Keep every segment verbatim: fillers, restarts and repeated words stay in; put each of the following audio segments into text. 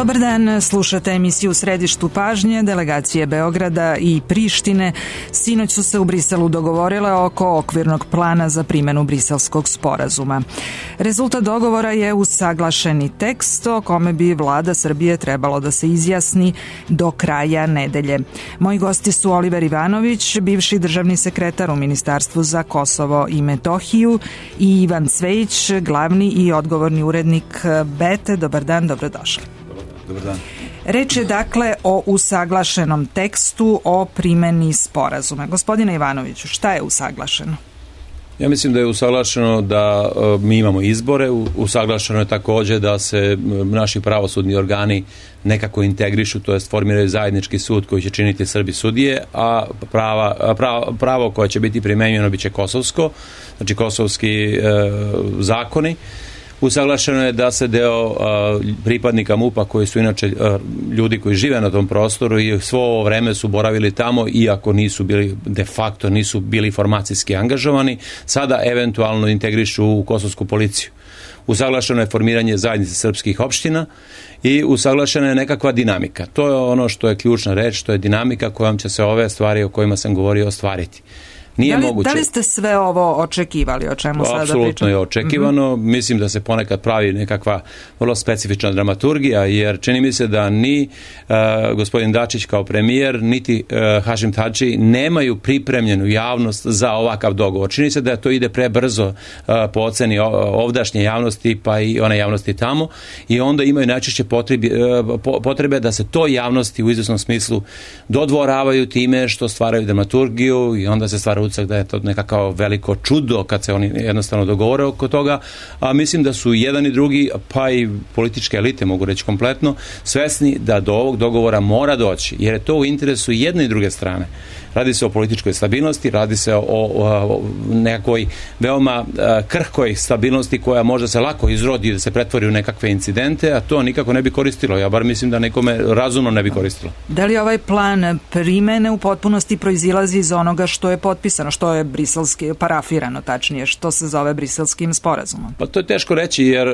Dobar dan, slušate emisiju U središtu pažnje. Delegacije Beograda i Prištine sinoć su se u Briselu dogovorile oko okvirnog plana za primjenu Briselskog sporazuma. Rezultat dogovora je usaglašeni tekst o kome bi vlada Srbije trebalo da se izjasni do kraja nedelje. Moji gosti su Oliver Ivanović, bivši državni sekretar u Ministarstvu za Kosovo i Metohiju, i Ivan Cvejić, glavni i odgovorni urednik Bete. Dobar dan, dobrodošli. Dobar dan. Reč je dakle o usaglašenom tekstu o primjeni sporazuma. Gospodine Ivanoviću, šta je usaglašeno? Ja mislim da je usaglašeno da uh, mi imamo izbore, usaglašeno je također da se naši pravosudni organi nekako integrišu, to jest formiraju zajednički sud koji će činiti Srbi sudije, a prava, pravo, pravo koje će biti primjenjeno biće kosovsko, znači kosovski uh, zakoni. Usaglašeno je da se deo uh, pripadnika MUP-a koji su inače uh, ljudi koji žive na tom prostoru i svo ovo vreme su boravili tamo, iako nisu bili de facto, nisu bili formacijski angažovani, sada eventualno integrišu u kosovsku policiju. Usaglašeno je formiranje zajednice srpskih opština i usaglašena je nekakva dinamika. To je ono što je ključna reč, to je dinamika kojom će se ove stvari o kojima sam govorio ostvariti. Nije da, li, moguće. Da li ste sve ovo očekivali, o čemu sada pričamo? Apsolutno je očekivano. Mm-hmm. Mislim da se ponekad pravi nekakva vrlo specifična dramaturgija, jer čini mi se da ni uh, gospodin Dačić kao premijer, niti uh, Hašim Tači nemaju pripremljenu javnost za ovakav dogovor. Čini se da to ide prebrzo uh, po oceni ovdašnje javnosti, pa i one javnosti tamo, i onda imaju najčešće potrebe, uh, potrebe da se to javnosti u izvesnom smislu dodvoravaju time što stvaraju dramaturgiju, i onda se stvara utisak da je to nekako veliko čudo kad se oni jednostavno dogovore oko toga, a mislim da su jedan i drugi, pa i političke elite, mogu reći kompletno, svesni da do ovog dogovora mora doći, jer je to u interesu jedne i druge strane. Radi se o političkoj stabilnosti, radi se o, o, o nekakvoj veoma krhkoj stabilnosti koja možda se lako izrodi i da se pretvori u nekakve incidente, a to nikako ne bi koristilo. Ja bar mislim da nekome razumno ne bi koristilo. Da li ovaj plan primene u potpunosti proizilazi iz onoga što je potpisano, što je briselski, parafirano tačnije, što se zove Briselskim sporazumom? Pa to je teško reći, jer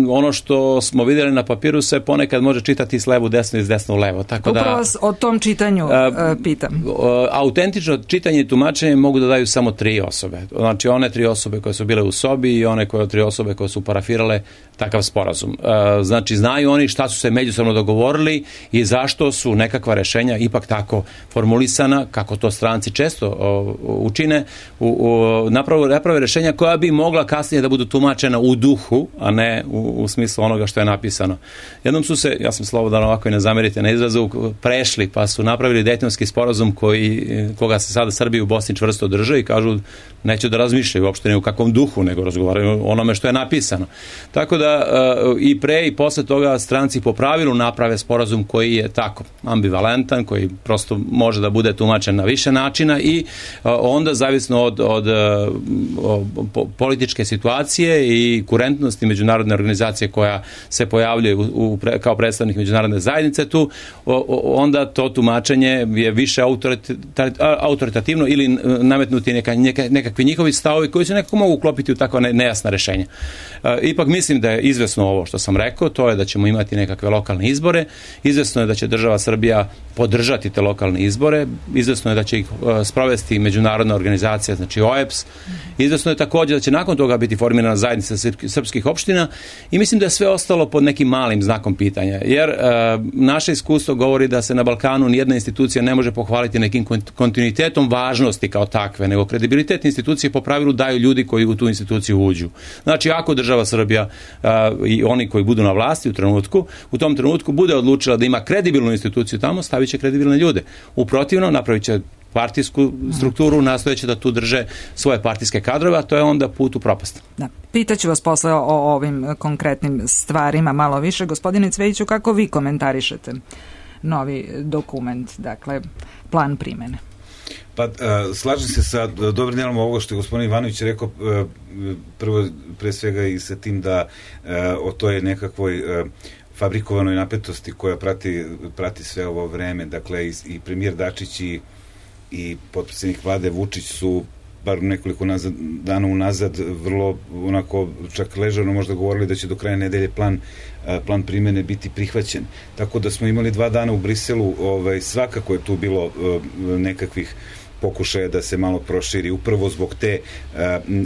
ono što smo vidjeli na papiru se ponekad može čitati s levu desno i s desno u levo. Tako upravo da, o tom čitanju a, pitam. A, autentično čitanje i tumačenje mogu da daju samo tri osobe. Znači one tri osobe koje su bile u sobi i one koje tri osobe koje su parafirale takav sporazum. Znači znaju oni šta su se međusobno dogovorili i zašto su nekakva rešenja ipak tako formulisana, kako to stranci često učine, u, u, naprave, naprave rešenja koja bi mogla kasnije da budu tumačena u duhu, a ne u, u smislu onoga što je napisano. Jednom su se, ja sam slobodan ovako i ne zamerite na izrazu, prešli pa su napravili Dejtonski sporazum koji koga se sada Srbi u Bosni čvrsto drže i kažu neće da razmišljaju uopšte ne u kakvom duhu, nego razgovaraju o onome što je napisano. Tako da i pre i posle toga stranci po pravilu naprave sporazum koji je tako ambivalentan, koji prosto može da bude tumačen na više načina i onda zavisno od, od, od političke situacije i kurentnosti međunarodne organizacije koja se pojavljuje u, u, kao predstavnik međunarodne zajednice tu, onda to tumačenje je više autoritativno ili nametnuti neka, neka, nekakvi njihovi stavovi koji se nekako mogu uklopiti u tako nejasna rešenja. E, ipak mislim da je izvesno ovo što sam rekao, to je da ćemo imati nekakve lokalne izbore, izvesno je da će država Srbija podržati te lokalne izbore, izvesno je da će ih uh, sprovesti međunarodna organizacija, znači O E B S, izvesno je također da će nakon toga biti formirana zajednica srpskih opština i mislim da je sve ostalo pod nekim malim znakom pitanja, jer uh, naše iskustvo govori da se na Balkanu nijedna institucija ne može pohvaliti nekim kontinuitetom važnosti kao takve, nego kredibilitet institucije po pravilu daju ljudi koji u tu instituciju uđu. Znači, ako država Srbija uh, i oni koji budu na vlasti u trenutku, u tom trenutku bude odlučila da ima kredibilnu instituciju tamo, stavit će kredibilne ljude. U protivnom, napravit će partijsku strukturu, nastojeće da tu drže svoje partijske kadrove, a to je onda put u propast. Da. Pitaću vas posle o, o ovim konkretnim stvarima malo više. Gospodine Cvejiću, kako vi komentarišete novi dokument, dakle, plan primene? Pa, uh, slažem se sa dobrim dijelom ovoga što je gospodin Ivanović rekao, uh, prvo, pre svega i sa tim da uh, o toj nekakvoj uh, fabrikovanoj napetosti koja prati, prati sve ovo vreme, dakle i, i premijer Dačić i, i potpredsjednik vlade Vučić su bar nekoliko nazad, dana unazad vrlo onako čak ležano možda govorili da će do kraja nedelje plan, plan primjene biti prihvaćen. Tako da smo imali dva dana u Briselu, ovaj, svakako je tu bilo nekakvih pokušaja da se malo proširi, upravo zbog te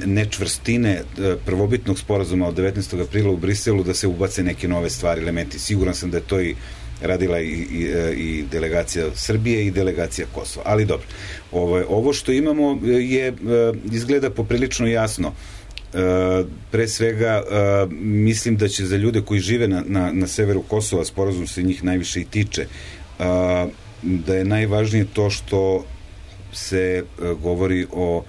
nečvrstine prvobitnog sporazuma od devetnaestog aprila u Briselu, da se ubace neke nove stvari, elementi. Siguran sam da je to i radila i, i, i delegacija Srbije i delegacija Kosova. Ali dobro, ovo, ovo što imamo je, izgleda poprilično jasno. Pre svega, mislim da će za ljude koji žive na, na, na severu Kosova, sporazum se njih najviše i tiče, da je najvažnije to što se govori o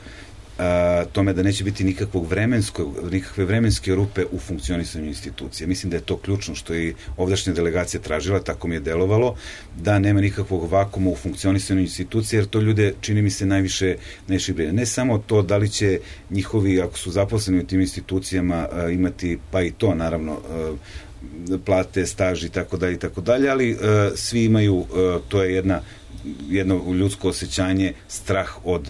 a, tome da neće biti nikakvog vremenskog, nikakve vremenske rupe u funkcionisanju institucije. Mislim da je to ključno što je ovdašnja delegacija tražila, tako mi je delovalo, da nema nikakvog vakuma u funkcionisanju institucije, jer to ljude, čini mi se, najviše najviše brine. Ne samo to da li će njihovi, ako su zaposleni u tim institucijama, a, imati, pa i to naravno, a, plate, staž i tako dalje i tako dalje, ali a, svi imaju, a, to je jedna jedno ljudsko osjećanje, strah od,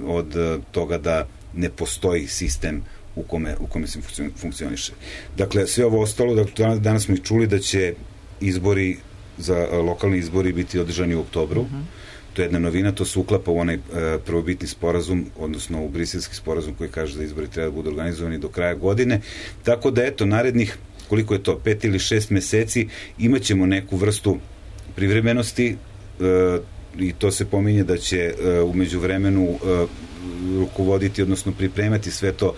od toga da ne postoji sistem u kome, u kome se funkcioniše. Dakle, sve ovo ostalo, dakle, danas smo i čuli da će izbori za lokalni izbori biti održani u oktobru. Mm-hmm. To je jedna novina, to se uklapa u onaj prvobitni sporazum, odnosno u briselski sporazum koji kaže da izbori treba da budu organizovani do kraja godine. Tako da, eto, narednih, koliko je to, pet ili šest meseci, imat ćemo neku vrstu privremenosti, i to se pominje da će u međuvremenu rukovoditi, odnosno pripremati sve to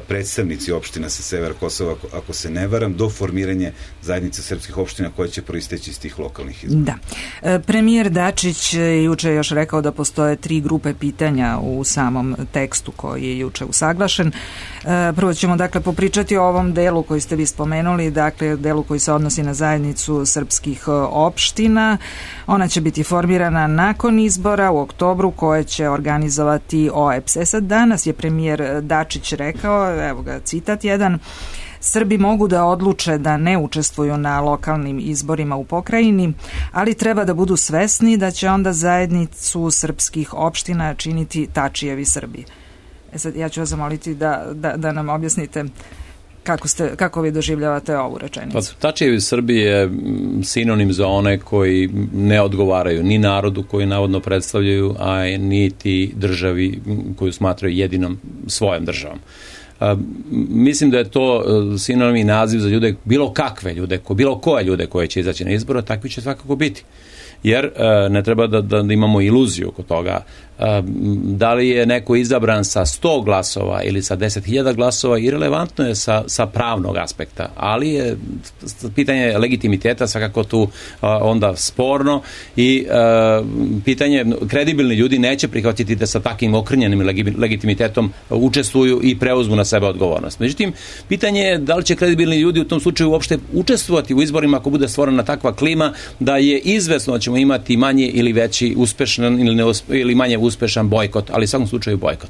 predstavnici opština sa severa Kosova, ako, ako se ne varam, do formiranja zajednice srpskih opština koje će proisteći iz tih lokalnih izbora. Da. Premijer Dačić juče je još rekao da postoje tri grupe pitanja u samom tekstu koji je juče usaglašen. Prvo ćemo dakle popričati o ovom delu koji ste vi spomenuli, dakle delu koji se odnosi na zajednicu srpskih opština. Ona će biti formirana nakon izbora u oktobru koje će organizovati O E B S. E sad, danas je premijer Dačić rekao, evo ga citat jedan, Srbi mogu da odluče da ne učestvuju na lokalnim izborima u pokrajini, ali treba da budu svesni da će onda zajednicu srpskih opština činiti Tačijevi Srbi. E sad, ja ću vas zamoliti da, da, da nam objasnite kako, ste, kako vi doživljavate ovu rečenicu. Pa, Tačijevi Srbi je sinonim za one koji ne odgovaraju ni narodu koji navodno predstavljaju, a niti državi koju smatraju jedinom svojom državom. A, mislim da je to sinonimni naziv za ljude, bilo kakve ljude, bilo koje ljude koje će izaći na izbor, takvi će svakako biti. Jer e, ne treba da, da imamo iluziju oko toga. E, da li je neko izabran sa sto glasova ili sa deset hiljada glasova, irelevantno je sa, sa pravnog aspekta, ali je pitanje legitimiteta svakako tu a, onda sporno i a, pitanje, kredibilni ljudi neće prihvatiti da sa takvim okrnjenim legitimitetom učestvuju i preuzmu na sebe odgovornost. Međutim, pitanje je da li će kredibilni ljudi u tom slučaju uopšte učestvovati u izborima ako bude stvorena takva klima da je izvesno da ćemo imati manje ili veći uspešan ili, neuspe, ili manje uspešan bojkot, ali u svakom slučaju bojkot.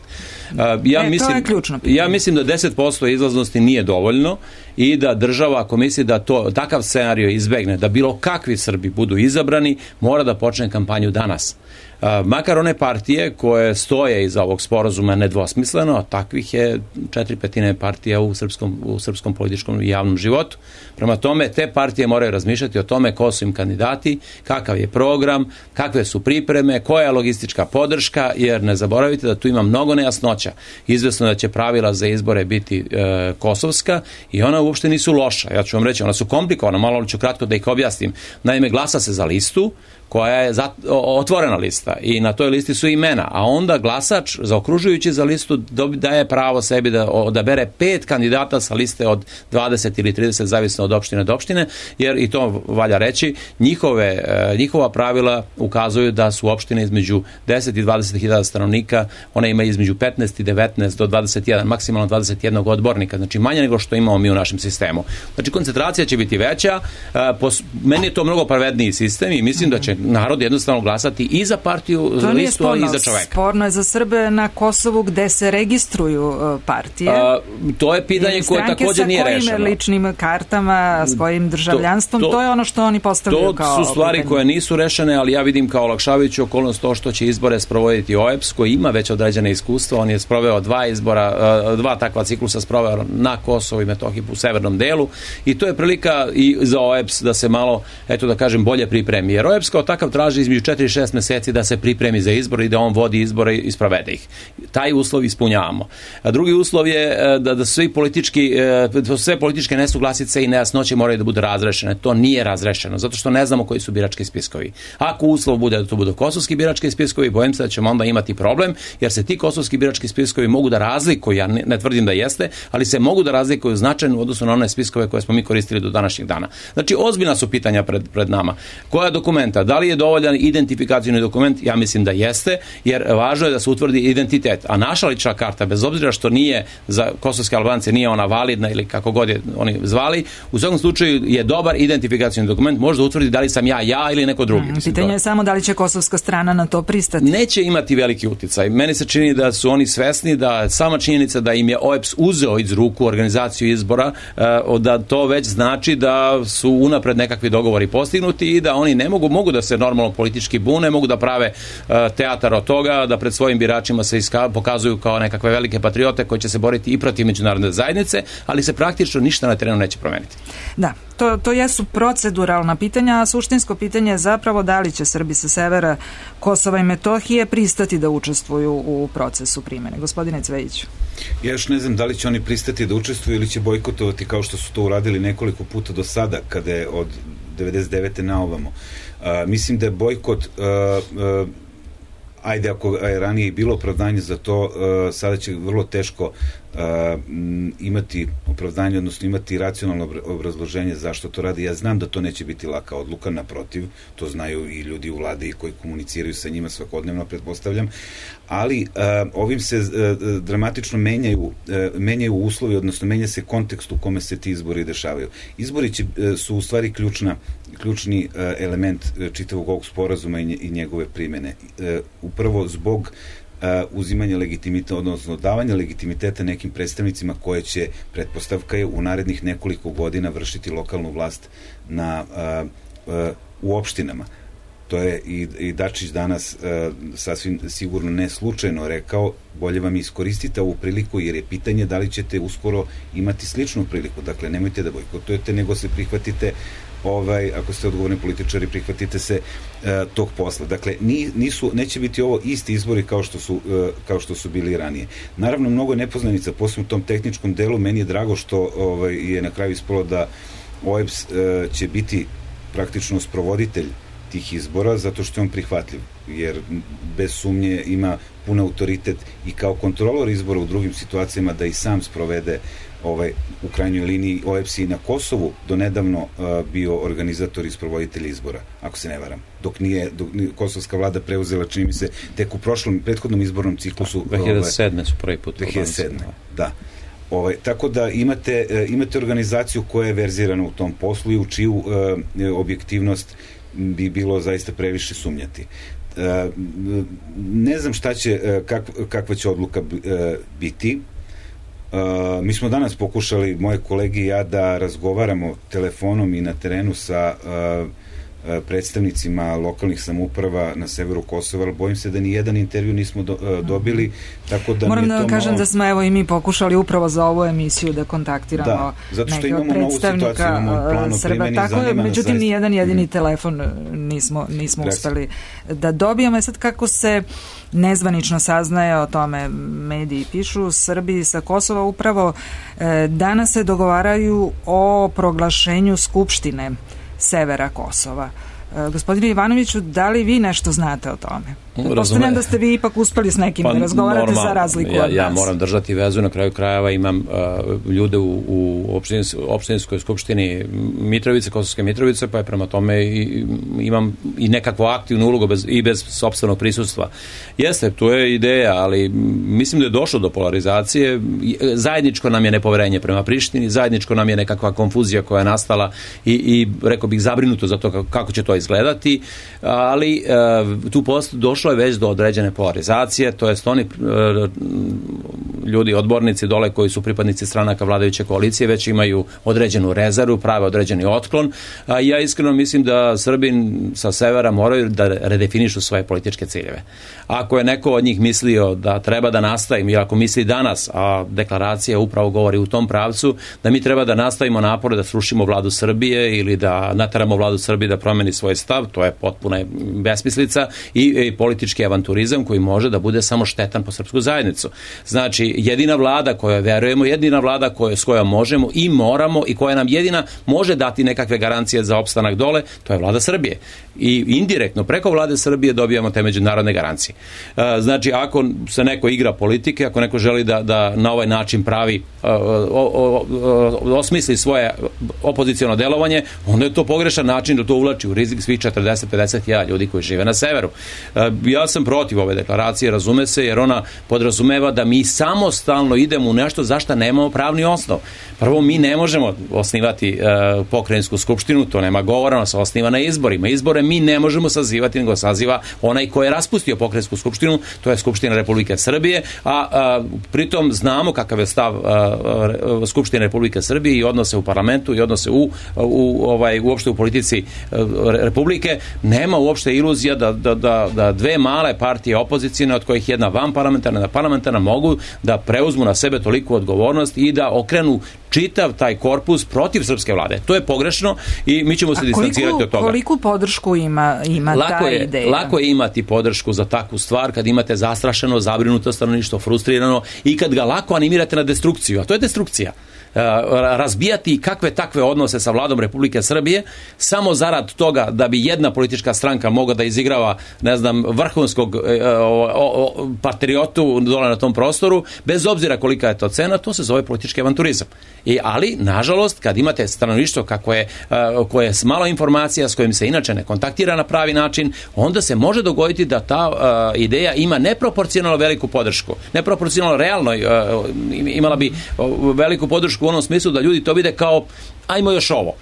Uh, ja, e, mislim, ja mislim da deset posto izlaznosti nije dovoljno i da država, ako misli da to, takav scenario izbegne, da bilo kakvi Srbi budu izabrani, mora da počne kampanju danas. Uh, makar one partije koje stoje iza ovog sporazuma nedvosmisleno, a takvih je četiri petine partija u srpskom, u srpskom političkom i javnom životu. Prema tome, te partije moraju razmišljati o tome ko su im kandidati, kakav je program, kakve su pripreme, koja je logistička podrška, jer ne zaboravite da tu ima mnogo nejasnoća. Izvesno da će pravila za izbore biti e, kosovska i ona uopšte nisu loša. Ja ću vam reći, ona su komplikovana, malo ću kratko da ih objasnim. Naime, glasa se za listu koja je otvorena lista i na toj listi su imena, a onda glasač zaokružujući za listu daje pravo sebi da odabere pet kandidata sa liste od dvadeset ili trideset, zavisno od opštine do opštine, jer i to valja reći, njihove, njihova pravila ukazuju da su opštine između deset i dvadeset hiljada stanovnika, one imaju između petnaest i devetnaest do dvadeset jedan, maksimalno dvadeset jedan odbornika, znači manje nego što imamo mi u našem sistemu. Znači koncentracija će biti veća, meni je to mnogo pravedniji sistem i mislim da će narod jednostavno glasati i za partiju, za listu, ali i za čoveka. Sporno je za Srbe na Kosovu gde se registruju partije. A, to je pitanje koje također nije rešeno. Sa kojim ličnim kartama, svojim državljanstvom, to, to, to je ono što oni postavljaju kao... To su stvari pitanje. Koje nisu rešene, ali ja vidim kao olakšavajuću okolnost to što će izbore sprovoditi O E P S, koji ima već određene iskustva. On je sproveo dva izbora, dva takva ciklusa sproveo na Kosovu i Metohiji u severnom delu i to je prilika i za O E P S da se malo, eto da kažem, bolje pripremi. Jer O E P S kao takav traži između četiri i šest meseci da se pripremi za izbor i da on vodi izbore i sprovede ih. Taj uslov ispunjavamo. A drugi uslov je da, da svi politički, sve političke nesuglasice i nejasnoće moraju da budu razrešene. To nije razrešeno, zato što ne znamo koji su birački spiskovi. Ako uslov bude da to budu kosovski birački spiskovi, bojim se da ćemo onda imati problem, jer se ti kosovski birački spiskovi mogu da razlikuju, ja ne, ne tvrdim da jeste, ali se mogu da razlikuju značajno u odnosu na one spiskove koje smo mi koristili do današnjeg dana. Znači, ozbiljna su pitanja pred, pred nama. Koja dokumenta? Da li je dovoljan identifikacioni dokument? Ja mislim da jeste, jer važno je da se utvrdi identitet. A naša lična karta, bez obzira što nije za kosovske Albance, nije ona validna ili kako god je oni zvali, u svakom slučaju je dobar identifikacioni dokument, može da utvrdi da li sam ja ja ili neko drugi. Hmm, pitanje je samo da li će kosovska strana na to pristati. Neće imati veliki uticaj. Meni se čini da su oni svesni da sama činjenica da im je O E P S uzeo iz ruku organizaciju izbora, da to već znači da su unapred nekakvi dogovori postignuti i da oni ne mogu, mogu da se normalno politički bune, mogu da prave teatar od toga, da pred svojim biračima se iska, pokazuju kao nekakve velike patriote koji će se boriti i protiv međunarodne zajednice, ali se praktično ništa na terenu neće promeniti. Da, to, to jesu proceduralna pitanja, a suštinsko pitanje je zapravo da li će Srbi sa severa Kosova i Metohije pristati da učestvuju u procesu primene. Gospodine Cvejiću. Ja još ne znam da li će oni pristati da učestvuju ili će bojkotovati kao što su to uradili nekoliko puta do sada, kada je od devedeset devete na ovamo. Uh, mislim da je bojkot uh, uh, ajde ako je ranije bilo opravdanje za to, uh, sada će vrlo teško uh, imati opravdanje, odnosno imati racionalno obrazloženje zašto to radi. Ja znam da to neće biti laka odluka, naprotiv, to znaju i ljudi u vladi koji komuniciraju sa njima svakodnevno, pretpostavljam, ali uh, ovim se uh, dramatično menjaju, uh, menjaju uslovi, odnosno menja se kontekst u kome se ti izbori dešavaju. Izbori će, uh, su u stvari ključna, ključni uh, element uh, čitavog ovog sporazuma i, nje, i njegove primene. Uh, upravo zbog Uh, uzimanja legitimiteta, odnosno davanja legitimiteta nekim predstavnicima koje će, pretpostavka je, u narednih nekoliko godina vršiti lokalnu vlast na, uh, uh, u opštinama. To je i, i Dačić danas uh, sasvim sigurno ne slučajno rekao, bolje vam iskoristite ovu priliku jer je pitanje da li ćete uskoro imati sličnu priliku. Dakle, nemojte da bojkotujete, nego se prihvatite ovaj, ako ste odgovorni političari, prihvatite se uh, tog posla. Dakle, nisu, neće biti ovo isti izbori kao što su, uh, kao što su bili ranije. Naravno, mnogo nepoznanica, posebno u tom tehničkom delu. Meni je drago što ovaj, je na kraju ispalo da O E P S uh, će biti praktično sprovoditelj tih izbora, zato što je on prihvatljiv, jer bez sumnje ima pun autoritet i kao kontrolor izbora u drugim situacijama da i sam sprovede ovaj, u krajnjoj liniji O E P S i na Kosovu do nedavno uh, bio organizator i sprovoditelj izbora, ako se ne varam. Dok nije, dok nije kosovska vlada preuzela, čini mi se, tek u prošlom, prethodnom izbornom ciklusu. dve hiljade sedme su prvi put. dve hiljade sedme, da. Ovaj, tako da imate, uh, imate organizaciju koja je verzirana u tom poslu i u čiju uh, objektivnost bi bilo zaista previše sumnjati. Uh, ne znam šta će, uh, kak, kakva će odluka uh, biti. Uh, mi smo danas pokušali, moje kolege i ja, da razgovaramo telefonom i na terenu sa uh, predstavnicima lokalnih samouprava na severu Kosova, ali bojim se da ni jedan intervju nismo do, uh, dobili, tako da moram da vam kažem malo... da smo evo i mi pokušali upravo za ovu emisiju da kontaktiramo da, zato što imamo novu situaciju, imamo plan o primjeni, tako je, međutim zaista... ni jedan jedini mm. telefon nismo, nismo uspeli da dobijemo. Sad kako se nezvanično saznaje o tome, mediji pišu, Srbi sa Kosova upravo e, danas se dogovaraju o proglašenju Skupštine severa Kosova. E, gospodine Ivanoviću, da li vi nešto znate o tome? Pretpostavljam da ste vi ipak uspeli s nekim pa, da razgovarate normal, za razliku ja, od nas. Ja moram držati vezu, na kraju krajeva imam uh, ljude u, u opštins, opštinskoj skupštini Mitrovice, Kosovske Mitrovice, pa je prema tome i, imam i nekakvu aktivnu ulogu bez, i bez sopstvenog prisustva. Jeste, to je ideja, ali mislim da je došlo do polarizacije. Zajedničko nam je nepoverenje prema Prištini, zajedničko nam je nekakva konfuzija koja je nastala i, i rekao bih zabrinuto za to kako, kako će to izgledati, ali uh, tu post došlo je već do određene polarizacije, to jest oni uh, ljudi, odbornici dole koji su pripadnici stranaka vladajuće koalicije već imaju određenu rezervu, prave određeni otklon, a ja iskreno mislim da Srbi sa severa moraju da redefinišu svoje političke ciljeve. Ako je neko od njih mislio da treba da nastavim, i ako misli danas, a deklaracija upravo govori u tom pravcu, da mi treba da nastavimo napore da srušimo vladu Srbije ili da nateramo vladu Srbije da promeni svoj stav, to je potpuna besmislica i, i politički avanturizam koji može da bude samo štetan po srpsku zajednicu. Znači, jedina vlada kojoj verujemo, jedina vlada koje, s kojom možemo i moramo i koja nam jedina može dati nekakve garancije za opstanak dole, to je vlada Srbije. I indirektno, preko vlade Srbije dobijamo te međunarodne garancije. Znači, ako se neko igra politike, ako neko želi da, da na ovaj način pravi, o, o, o, osmisli svoje opoziciono delovanje, onda je to pogrešan način da to uvlači u rizik svih četrdeset do pedeset hiljada ljudi koji žive na severu. Ja sam protiv ove deklaracije, razume se, jer ona podrazumeva da mi samostalno idemo u nešto za što nemamo pravni osnov. Prvo, mi ne možemo osnivati uh, pokrajinsku skupštinu, to nema govora, ona se osniva na izborima. Izbore mi ne možemo sazivati, nego saziva onaj ko je raspustio pokrajinsku skupštinu, to je Skupština Republike Srbije, a, a pritom znamo kakav je stav a, a, Skupštine Republike Srbije i odnose u parlamentu i odnose u, u, ovaj, uopšte u politici a, Republike. Nema uopšte iluzija da, da, da, da dve male partije opozicijne, od kojih jedna vanparlamentarna, jedna parlamentarna, mogu da preuzmu na sebe toliku odgovornost i da okrenu čitav taj korpus protiv srpske vlade. To je pogrešno i mi ćemo se distancirati od toga. Koliku podršku ima, ima lako ta je, ideja? Lako je imati podršku za takvu stvar kad imate zastrašeno, zabrinuto stanovništvo, frustrirano i kad ga lako animirate na destrukciju. A to je destrukcija. Razbijati kakve takve odnose sa vladom Republike Srbije samo zarad toga da bi jedna politička stranka mogla da izigrava, ne znam, vrhunskog patriotu dole na tom prostoru, bez obzira kolika je to cena, to se zove politički avanturizam. I, ali, nažalost, kad imate stanovništvo kako je, koje je s malo informacija, s kojim se inače ne kontaktira na pravi način, onda se može dogoditi da ta uh, ideja ima neproporcionalno veliku podršku. Neproporcionalno realno uh, imala bi uh, veliku podršku u onom smislu da ljudi to vide kao ajmo još ovo.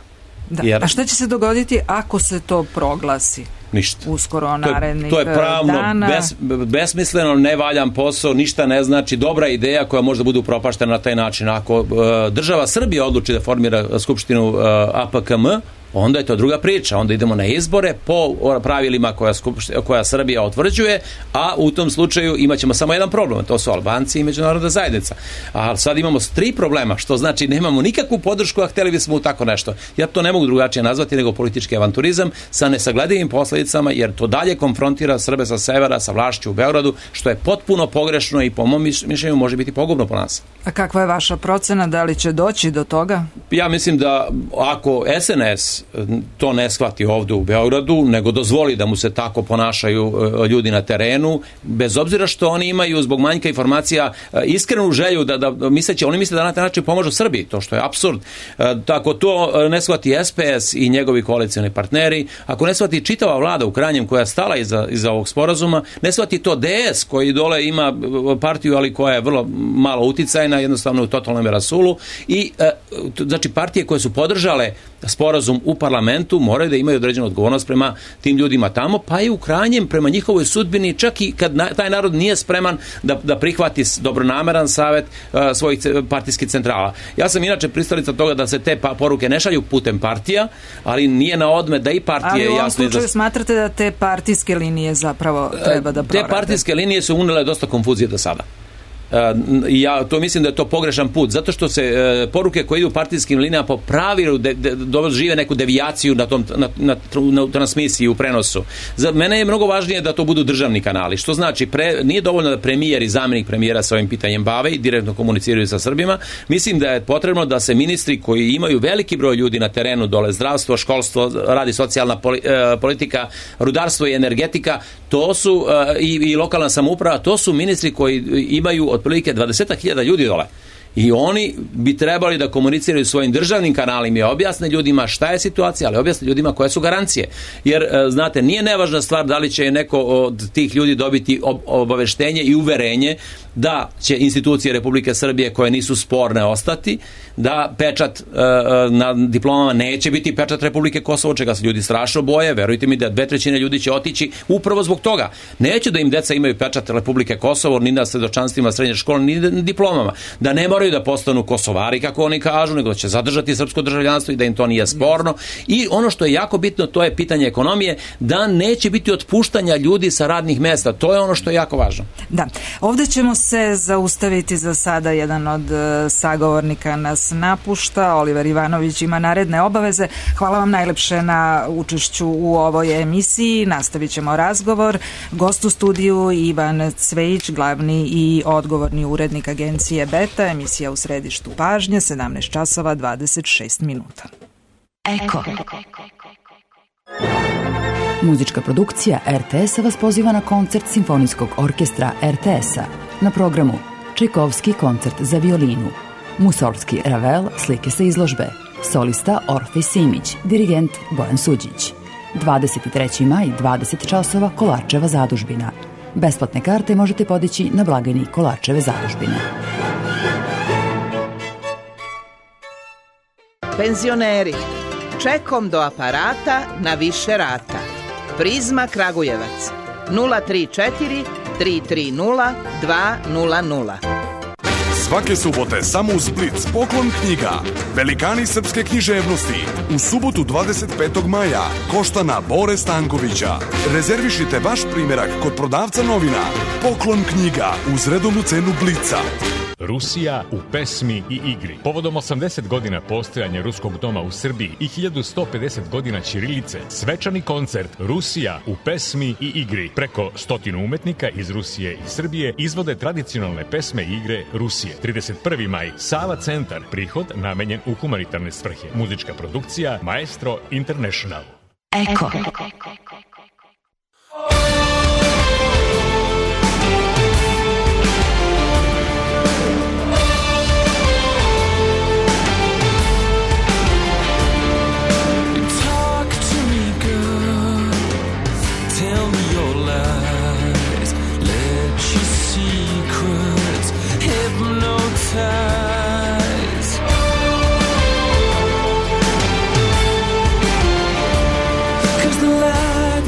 Da. Jer... A šta će se dogoditi ako se to proglasi? Ništa. Uskoro narednih to je, to je pravno dana. Bes, besmisleno, nevaljan posao, ništa ne znači, dobra ideja koja može da bude upropaštena na taj način. Ako uh, država Srbija odluči da formira skupštinu uh, A P K M, onda je to druga priča. Onda idemo na izbore po pravilima koja, koja Srbija utvrđuje, a u tom slučaju imat ćemo samo jedan problem, to su Albanci i međunarodna zajednica. A sad imamo tri problema, što znači nemamo nikakvu podršku, a hteli bismo u tako nešto. Ja to ne mogu drugačije nazvati nego politički avanturizam sa nesagledivim posledicama, jer to dalje konfrontira Srbe sa severa, sa vlašću u Beogradu, što je potpuno pogrešno i po mom mišljenju može biti pogubno po nas. A kakva je vaša procena, da li će doći do toga? Ja mislim da ako S N S to ne shvati ovdje u Beogradu, nego dozvoli da mu se tako ponašaju ljudi na terenu, bez obzira što oni imaju zbog manjka informacija iskrenu želju da, da misleći, oni misle da na taj način pomožu Srbiji, to što je apsurd. Tako to ne shvati S P S i njegovi koalicioni partneri, ako ne shvati čitava vlada u krajnjem koja je stala iza, iza ovog sporazuma, ne shvati to D S koji dole ima partiju, ali koja je vrlo malo uticajna, jednostavno u totalnom rasulu, i znači partije koje su podržale sporazum u parlamentu moraju da imaju određenu odgovornost prema tim ljudima tamo, pa i u krajnjem prema njihovoj sudbini, čak i kad na, taj narod nije spreman da, da prihvati dobronameran savet uh, svojih partijskih centrala. Ja sam inače pristalica toga da se te pa, poruke ne šalju putem partija, ali nije na odmet da i partije... Ali u ovom jasno slučaju da... smatrate da te partijske linije zapravo treba da prorade? Te partijske linije su unele dosta konfuzije do sada. Ja to mislim da je to pogrešan put, zato što se poruke koje idu partijskim linijama po pravilu de, de, dožive neku devijaciju na tom na, na, na transmisiji u prenosu. Za mene je mnogo važnije da to budu državni kanali, što znači pre, nije dovoljno da premijer i zamjenik premijera sa ovim pitanjem bave i direktno komuniciraju sa Srbima. Mislim da je potrebno da se ministri koji imaju veliki broj ljudi na terenu dole, zdravstvo, školstvo, radi socijalna politika, rudarstvo i energetika, to su i, i lokalna samouprava, to su ministri koji imaju otprilike dvadeset hiljada ljudi dole. I oni bi trebali da komuniciraju svojim državnim kanalima i objasne ljudima šta je situacija, ali objasne ljudima koje su garancije. Jer, znate, nije nevažna stvar da li će neko od tih ljudi dobiti obaveštenje i uverenje da će institucije Republike Srbije koje nisu sporne ostati, da pečat na diplomama neće biti pečat Republike Kosovo, čega se ljudi strašno boje. Verujte mi da dve trećine ljudi će otići upravo zbog toga. Neće da im deca imaju pečat Republike Kosovo ni na svedočanstvima srednje škole, ni na diplomama. Da ne moraju da postanu Kosovari, kako oni kažu, nego da će zadržati srpsko državljanstvo i da im to nije sporno. I ono što je jako bitno, to je pitanje ekonomije, da neće biti otpuštanja ljudi sa radnih mesta. To je ono što je jako važno. Da. Ovde ćemo se zaustaviti za sada. Jedan od sagovornika nas napušta. Oliver Ivanović ima naredne obaveze. Hvala vam najlepše na učešću u ovoj emisiji. Nastavit ćemo razgovor. Gost u studiju Ivan Cvejić, glavni i odgovorni urednik agencije Beta. Emisija u središtu pažnje, sedamnaest časova dvadeset šest minuta. Eko. Muzička produkcija er te es-a vas poziva na koncert Simfonijskog orkestra er te es-a. Na programu Čajkovski koncert za violinu, Musorgski Ravel, slike sa izložbe, solista Orfej Simić, dirigent Bojan Suđić. dvadeset treći maj, dvadeset časova, Kolarčeva zadužbina. Besplatne karte možete podići na blagajni Kolarčeve zadužbine. Penzioneri, čekom do aparata na više rata. Prizma Kragujevac, nula tri četiri tri tri nula dva nula nula. Svake subote samo uz Blic poklon knjiga. Velikani srpske književnosti. U subotu dvadeset petog maja Koštana Bore Stankovića. Rezervišite vaš primerak kod prodavca novina. Poklon knjiga uz redovnu cenu Blica. Rusija u pesmi i igri. Povodom osamdeset godina postojanja Ruskog doma u Srbiji i hiljadu sto pedeset godina ćirilice, svečani koncert Rusija u pesmi i igri. Preko stotinu umetnika iz Rusije i Srbije izvode tradicionalne pesme i igre Rusije. trideset prvi maj, Sava centar, prihod namenjen u humanitarne svrhe. Muzička produkcija Maestro International. Eko. Hypnotize. Cause the light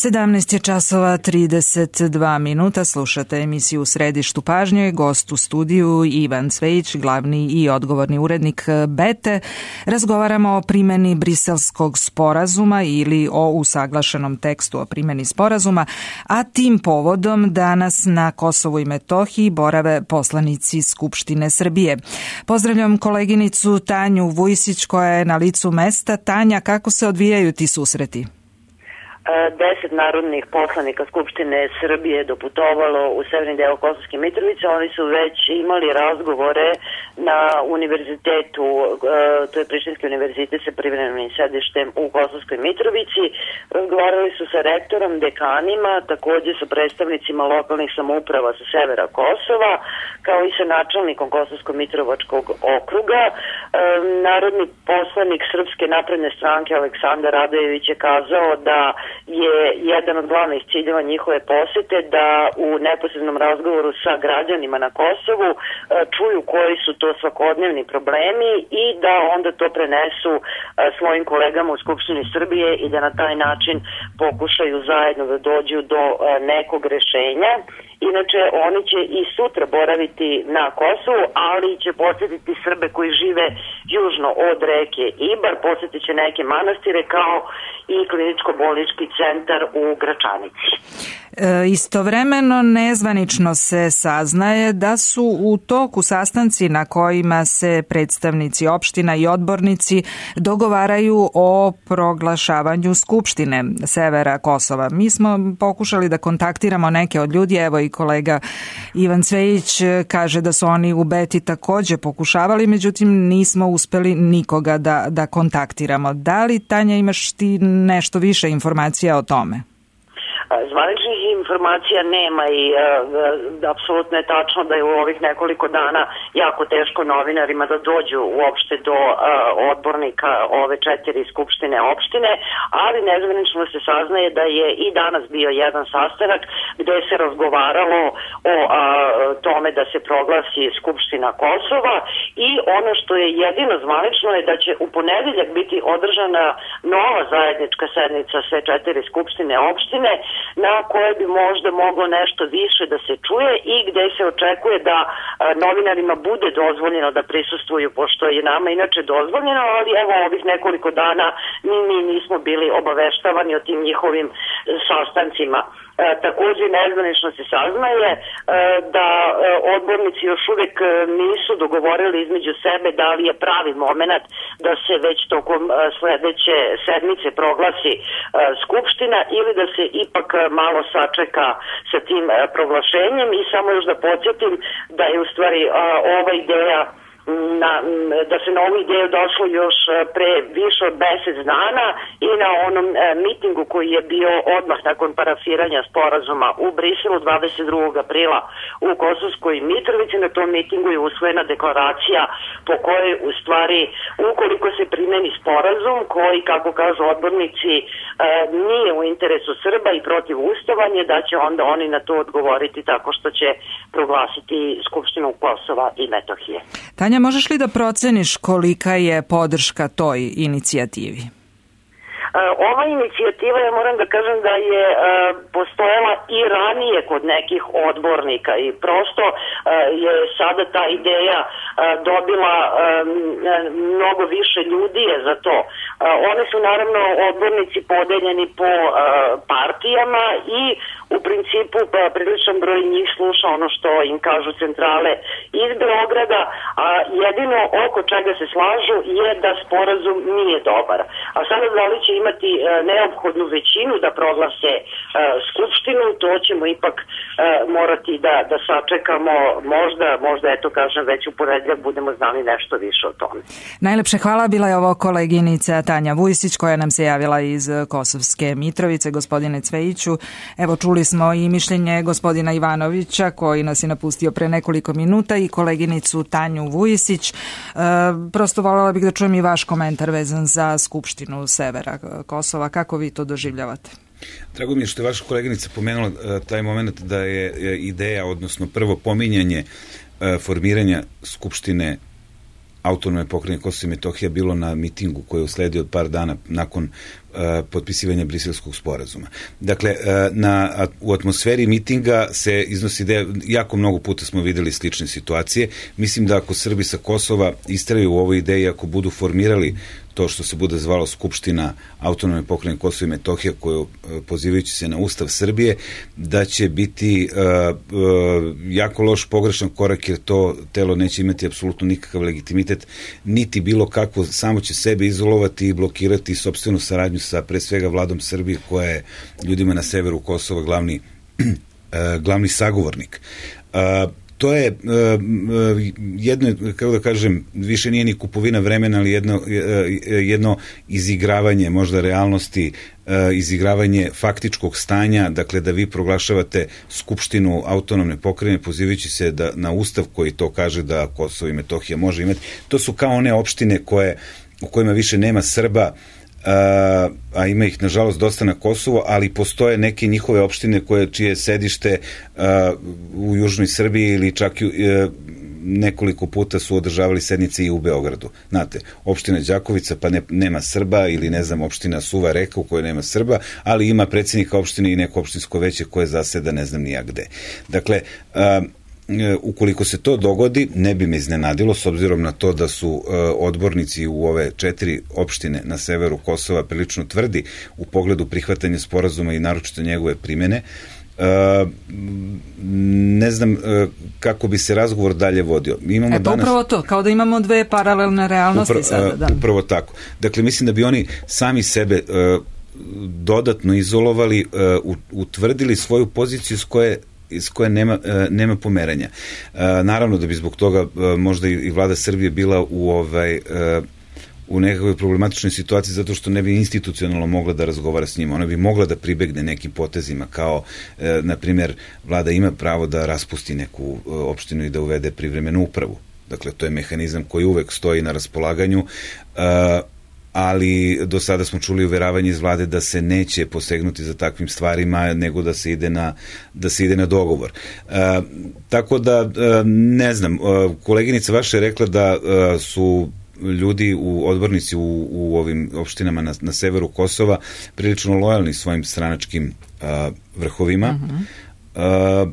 sedamnaest je časova trideset dva minuta, slušate emisiju U središtu pažnje, gost u studiju Ivan Cvejić, glavni i odgovorni urednik Bete. Razgovaramo o primjeni Briselskog sporazuma ili o usaglašenom tekstu o primjeni sporazuma, a tim povodom danas na Kosovu i Metohiji borave poslanici Skupštine Srbije. Pozdravljam koleginicu Tanju Vujsić koja je na licu mesta. Tanja, kako se odvijaju ti susreti? Deset narodnih poslanika Skupštine Srbije je doputovalo u severni deo Kosovske Mitrovice. Oni su već imali razgovore na univerzitetu, to je Prištinski univerzitet sa privremenim sedištem u Kosovskoj Mitrovici. Razgovarali su sa rektorom, dekanima, također sa predstavnicima lokalnih samouprava sa severa Kosova, kao i sa načelnikom Kosovsko-Mitrovačkog okruga. Narodni poslanik Srpske napredne stranke Aleksandar Radojević je kazao da je jedan od glavnih ciljeva njihove posete da u neposrednom razgovoru sa građanima na Kosovu čuju koji su to svakodnevni problemi i da onda to prenesu svojim kolegama u Skupštini Srbije i da na taj način pokušaju zajedno da dođu do nekog rešenja. Inače, oni će i sutra boraviti na Kosovu, ali će posjetiti Srbe koji žive južno od reke Ibar, posjetit će neke manastire kao i kliničko-bolnički centar u Gračanici. E, istovremeno nezvanično se saznaje da su u toku sastanci na kojima se predstavnici opština i odbornici dogovaraju o proglašavanju Skupštine severa Kosova. Mi smo pokušali da kontaktiramo neke od ljudi, evo i kolega Ivan Cvejić kaže da su oni u Beti također pokušavali, međutim nismo uspeli nikoga da, da kontaktiramo. Da li, Tanja, imaš ti nešto više informacija o tome? Zvaničnih informacija nema i uh, apsolutno je tačno da je u ovih nekoliko dana jako teško novinarima da dođu uopšte do uh, odbornika ove četiri skupštine opštine, ali nezvanično se saznaje da je i danas bio jedan sastanak gde se razgovaralo o uh, tome da se proglasi Skupština Kosova i ono što je jedino zvanično je da će u ponedeljak biti održana nova zajednička sednica sve četiri skupštine opštine na koje bi možda moglo nešto više da se čuje i gde se očekuje da a, novinarima bude dozvoljeno da prisustvuju, pošto je nama inače dozvoljeno, ali evo ovih nekoliko dana mi, mi nismo bili obaveštavani o tim njihovim sastancima. E, također nezvanično se saznaje e, da e, odbornici još uvijek nisu dogovorili između sebe da li je pravi moment da se već tokom e, sledeće sedmice proglasi e, Skupština ili da se ipak malo sačeka sa tim e, proglašenjem i samo još da podsjetim da je u stvari e, ova ideja Na, da se na ovu ideju došlo još pre više od deset dana i na onom e, mitingu koji je bio odmah nakon parafiranja sporazuma u Briselu dvadeset drugog aprila u Kosovskoj Mitrovici. Na tom mitingu je usvojena deklaracija po kojoj u stvari ukoliko se primeni sporazum koji, kako kažu odbornici, e, nije u interesu Srba i protiv ustavanje, da će onda oni na to odgovoriti tako što će proglasiti Skupštinu Kosova i Metohije. Tanja, možeš li da proceniš kolika je podrška toj inicijativi? Ova inicijativa, ja moram da kažem da je uh, postojala i ranije kod nekih odbornika i prosto uh, je sada ta ideja uh, dobila um, mnogo više ljudi je za to. Uh, one su naravno odbornici podeljeni po uh, partijama i u principu pa, priličan broj njih sluša ono što im kažu centrale iz Beograda, a jedino oko čega se slažu je da sporazum nije dobar. A sada da li će imati e, neophodnu većinu da proglase e, Skupštinu, to ćemo ipak e, morati da, da sačekamo, možda, možda eto kažem već u ponedeljak budemo znali nešto više o tome. Najlepše hvala, bila je ovo koleginica Tanja Vujsić koja nam se javila iz Kosovske Mitrovice. Gospodine Cvejiću, evo čuli smo i mišljenje gospodina Ivanovića koji nas je napustio pre nekoliko minuta i koleginicu Tanju Vujsić. E, prosto voljela bih da čujem i vaš komentar vezan za Skupštinu severa Kosova. Kako vi to doživljavate? Drago mi je što je vaša koleginica pomenula taj moment da je ideja, odnosno prvo pominjanje formiranja Skupštine Autonomne pokrajine Kosova i Metohija bilo na mitingu koji je usledio od par dana nakon potpisivanja Briselskog sporazuma. Dakle, na, u atmosferi mitinga se iznosi da jako mnogo puta smo videli slične situacije. Mislim da ako Srbi sa Kosova istraju u ovoj ideji, ako budu formirali to što se bude zvalo Skupština autonomne pokrajine Kosovo i Metohija, koju pozivajući se na Ustav Srbije, da će biti uh, uh, jako loš, pogrešan korak, jer to telo neće imati apsolutno nikakav legitimitet, niti bilo kako, samo će sebe izolovati i blokirati sopstvenu saradnju sa pre svega vladom Srbije, koja je ljudima na severu Kosova glavni, uh, glavni sagovornik. Uh, To je uh, jedno, kako da kažem, više nije ni kupovina vremena, ali jedno, jedno izigravanje možda realnosti, uh, izigravanje faktičkog stanja, dakle da vi proglašavate Skupštinu autonomne pokrajine pozivajući se da, na Ustav koji to kaže da Kosovo i Metohija može imati. To su kao one opštine koje, u kojima više nema Srba, Uh, a ima ih nažalost dosta na Kosovo, ali postoje neke njihove opštine koje čije sedište uh, u južnoj Srbiji ili čak i uh, nekoliko puta su održavali sednice i u Beogradu. Znate, opština Đakovica pa ne, nema Srba, ili ne znam, opština Suva Reka u kojoj nema Srba, ali ima predsjednika opštine i neko opštinsko veće koje zaseda ne znam nija gde. Dakle, uh, ukoliko se to dogodi, ne bi me iznenadilo, s obzirom na to da su uh, odbornici u ove četiri opštine na severu Kosova prilično tvrdi u pogledu prihvatanja sporazuma i naročito njegove primjene. Uh, ne znam uh, kako bi se razgovor dalje vodio. Mi imamo e pa danas... upravo to, kao da imamo dve paralelne realnosti Upra, sada. Da. Upravo tako. Dakle, mislim da bi oni sami sebe uh, dodatno izolovali, uh, utvrdili svoju poziciju s koje iz koje nema, nema pomeranja. Naravno da bi zbog toga možda i vlada Srbije bila u ovaj u nekakvoj problematičnoj situaciji zato što ne bi institucionalno mogla da razgovara s njima. Ona bi mogla da pribegne nekim potezima kao, na primjer, vlada ima pravo da raspusti neku opštinu i da uvede privremenu upravu. Dakle, to je mehanizam koji uvek stoji na raspolaganju, ali do sada smo čuli uveravanje iz vlade da se neće posegnuti za takvim stvarima, nego da se ide na, da se ide na dogovor. E, tako da, e, ne znam, koleginica vaša je rekla da e, su ljudi, u odbornici u, u ovim opštinama na, na severu Kosova prilično lojalni svojim stranačkim a, vrhovima. Uh-huh. A,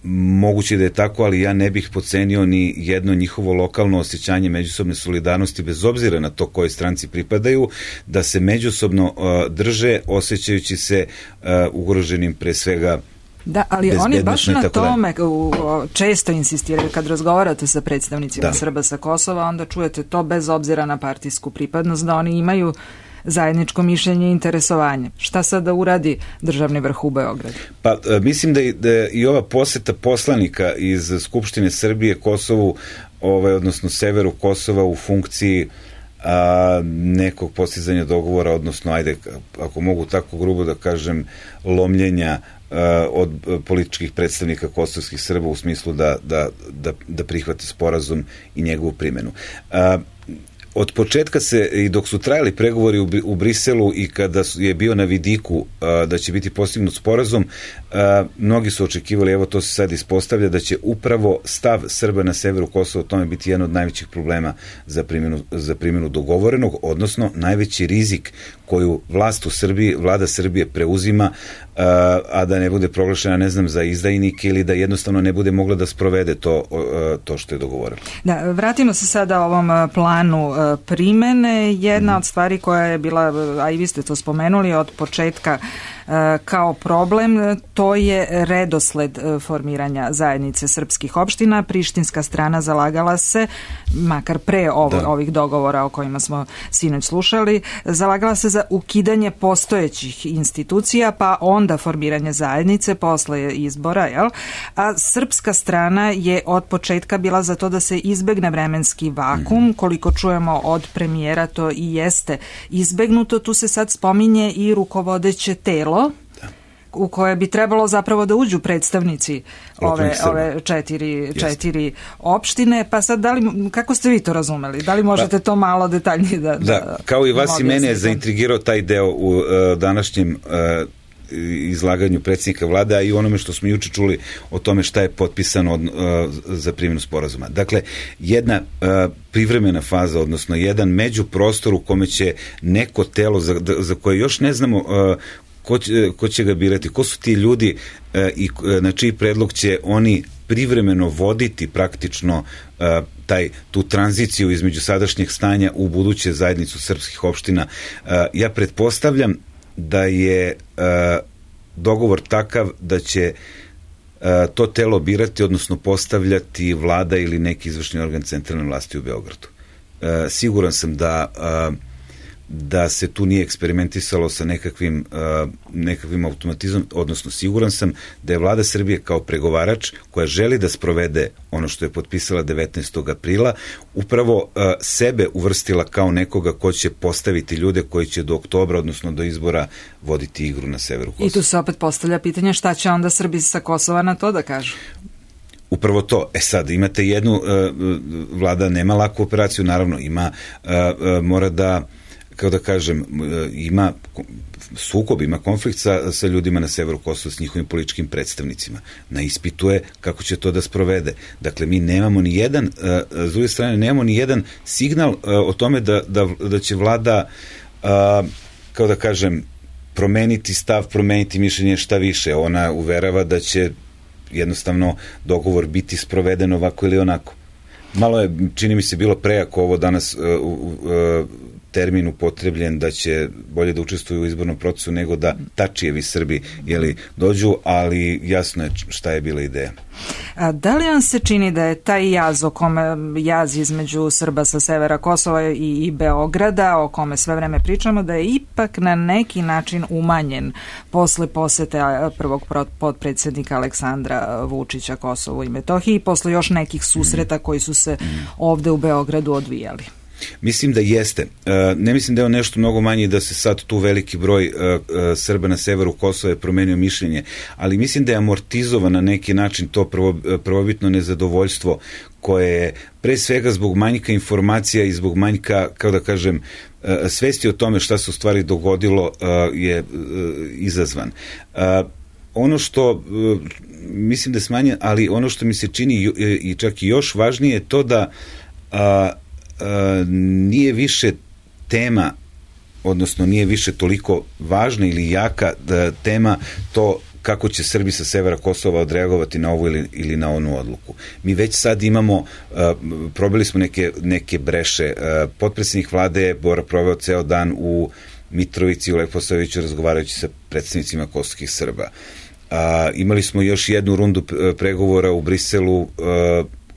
moguće da je tako, ali ja ne bih podcenio ni jedno njihovo lokalno osjećanje međusobne solidarnosti, bez obzira na to kojoj stranci pripadaju, da se međusobno uh, drže, osjećajući se uh, ugroženim pre svega. Da, ali oni baš na tome u, često insistiraju kad razgovarate sa predstavnicima da. Srba sa Kosova, onda čujete to bez obzira na partijsku pripadnost, da oni imaju zajedničko mišljenje i interesovanje. Šta sad da uradi državni vrh u Beogradu? Pa mislim da i, da i ova poseta poslanika iz Skupštine Srbije Kosovu, ovaj, odnosno severu Kosova u funkciji a, nekog postizanja dogovora, odnosno, ajde, ako mogu tako grubo da kažem, lomljenja a, od političkih predstavnika kosovskih Srba u smislu da, da, da, da prihvate sporazum i njegovu primjenu. A, Od početka se, i dok su trajali pregovori u, u Briselu i kada je bio na vidiku a, da će biti postignut sporazum, a, mnogi su očekivali, evo to se sad ispostavlja, da će upravo stav Srba na severu Kosova o tome biti jedan od najvećih problema za primjenu, za primjenu dogovorenog, odnosno najveći rizik koju vlast u Srbiji, vlada Srbije preuzima, a, a da ne bude proglašena, ne znam, za izdajnike ili da jednostavno ne bude mogla da sprovede to, a, to što je dogovoreno. Da, vratimo se sada ovom planu primene. Jedna mm. od stvari koja je bila, a i vi ste to spomenuli, od početka kao problem, to je redosled formiranja zajednice srpskih opština. Prištinska strana zalagala se, makar pre ovo, ovih dogovora o kojima smo sinoć slušali, zalagala se za ukidanje postojećih institucija, pa onda formiranje zajednice posle izbora, jel? A srpska strana je od početka bila za to da se izbegne vremenski vakum. Koliko čujemo od premijera, to i jeste izbegnuto. Tu se sad spominje i rukovodeće telo u koje bi trebalo zapravo da uđu predstavnici ove, ove četiri, četiri opštine. Pa sad, da li, kako ste vi to razumeli? Da li možete pa, to malo detaljnije da... Da, da kao i vas i mene je zaintrigirao taj deo u uh, današnjem uh, izlaganju predsjednika vlade, a i onome što smo juče čuli o tome šta je potpisano od, uh, za primjenu sporazuma. Dakle, jedna uh, privremena faza, odnosno jedan međuprostor u kome će neko telo za, za koje još ne znamo uh, ko, će, ko će ga birati, ko su ti ljudi uh, i uh, na čiji predlog će oni privremeno voditi praktično uh, taj, tu tranziciju između sadašnjeg stanja u buduće zajednicu srpskih opština. Uh, ja pretpostavljam da je uh, dogovor takav da će uh, to telo birati, odnosno postavljati vlada ili neki izvršni organ centralne vlasti u Beogradu. Uh, siguran sam da uh, da se tu nije eksperimentisalo sa nekakvim, uh, nekakvim automatizmom, odnosno siguran sam da je vlada Srbije kao pregovarač koja želi da sprovede ono što je potpisala devetnaestog aprila, upravo uh, sebe uvrstila kao nekoga ko će postaviti ljude koji će do oktobra, odnosno do izbora, voditi igru na severu Kosova. I tu se opet postavlja pitanje šta će onda Srbi sa Kosova na to da kažu? Upravo to. E sad, imate jednu, uh, vlada nema laku operaciju, naravno, ima, uh, uh, mora da kao da kažem, ima sukob, ima konflikt sa, sa ljudima na severu Kosova, s njihovim političkim predstavnicima. Na ispitu je kako će to da sprovede. Dakle, mi nemamo ni jedan, s druge strane, nemamo ni jedan signal o tome da, da, da će vlada, kao da kažem, promeniti stav, promeniti mišljenje, šta više. Ona uverava da će jednostavno dogovor biti sproveden ovako ili onako. Malo je, čini mi se, bilo prejako ovo danas uh, uh, termin upotrebljen da će bolje da učestvuju u izbornom procesu nego da Tačijevi Srbi jeli, dođu, ali jasno je šta je bila ideja. A da li vam se čini da je taj jaz o kome jaz između Srba sa severa Kosova i, i Beograda, o kome sve vreme pričamo, da je ipak na neki način umanjen posle posete prvog potpredsjednika Aleksandra Vučića Kosovu i Metohiji i posle još nekih susreta koji su se ovde u Beogradu odvijali? Mislim da jeste. Ne mislim da je nešto mnogo manje da se sad tu veliki broj Srba na severu Kosova je promenio mišljenje, ali mislim da je amortizovan na neki način to prvo, prvobitno nezadovoljstvo koje je pre svega zbog manjka informacija i zbog manjka, kao da kažem, svesti o tome šta se u stvari dogodilo je izazvan. Ono što mislim da je smanjen, ali ono što mi se čini i čak i još važnije je to da Uh, nije više tema, odnosno nije više toliko važna ili jaka da, tema to kako će Srbi sa severa Kosova odreagovati na ovu ili, ili na onu odluku. Mi već sad imamo, uh, probili smo neke, neke breše. Uh, potpredsjednik vlade je Bora proveo ceo dan u Mitrovici, u Leposaviću, razgovarajući sa predstavnicima kosovskih Srba. Uh, imali smo još jednu rundu pregovora u Briselu, uh,